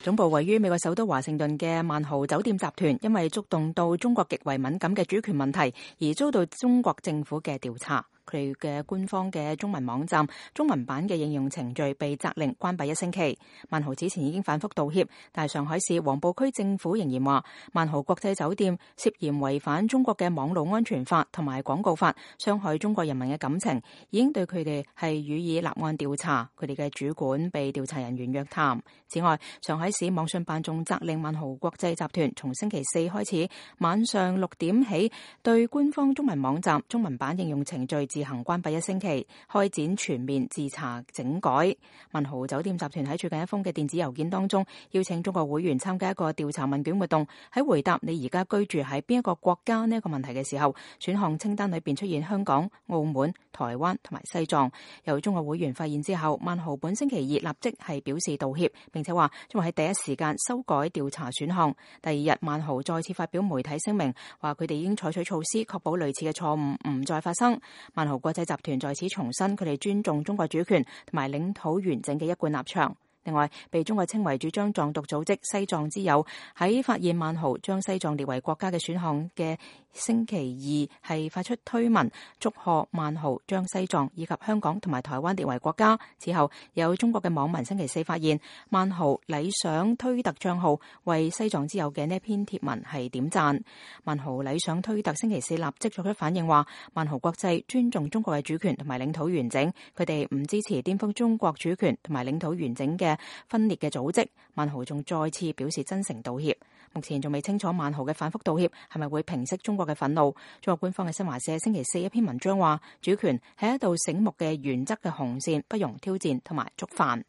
總部位於美國首都華盛頓嘅萬豪酒店集團，因為觸動到中國極為敏感嘅主權問題，而遭到中國政府嘅調查。佢嘅官方嘅中文網站中文版嘅應用程序被責令關閉1星期。萬豪此前已經反覆道歉，但係上海市黃埔區政府仍然話，萬豪國際酒店涉嫌違反中國嘅網絡安全法同埋廣告法，傷害中國人民嘅感情，已經對佢哋係予以立案調查。佢哋嘅主管被調查人員約談。此外，上海市網信辦仲責令萬豪國際集團從星期4開始晚上6點起，對官方中文網站中文版應用程序自行關閉1星期，開展全面自查整改。萬豪酒店集團喺最近一封嘅電子郵件當中，邀請中國會員參加一個調查問卷活動。喺回答你而家居住喺邊一個國家呢一個問題嘅時候，選項清單裏邊出現香港、澳門、台灣同埋西藏。由中國會員發現之後，萬豪本星期2立即係表示道歉，並且話將會喺第一時間修改調查選項。第二日，萬豪再次發表媒體聲明，話佢哋已經採取措施，確保類似嘅錯誤唔再發生。萬豪國際集團在此重申佢哋尊重中國主權同埋領土完整嘅一貫立場。另外，被中國稱為主張藏獨組織西藏之友喺發現萬豪將西藏列為國家嘅選項嘅星期2係發出推文，祝賀萬豪將西藏以及香港同埋台灣列為國家。此後，有中國嘅網民星期4發現萬豪禮賞推特帳號為西藏之友嘅呢一篇貼文係點讚。萬豪禮賞推特星期4立即作出反應，話萬豪國際尊重中國嘅主權同埋領土完整，佢哋唔支持顛覆中國主權同埋領土完整嘅分裂嘅組織。萬豪仲再次表示真誠道歉。目前仲未清楚萬豪嘅反覆道歉係咪會平息中國嘅憤怒。中國官方嘅新華社星期4一篇文章話，主權係一道醒目嘅原則嘅紅線，不容挑戰同埋觸犯。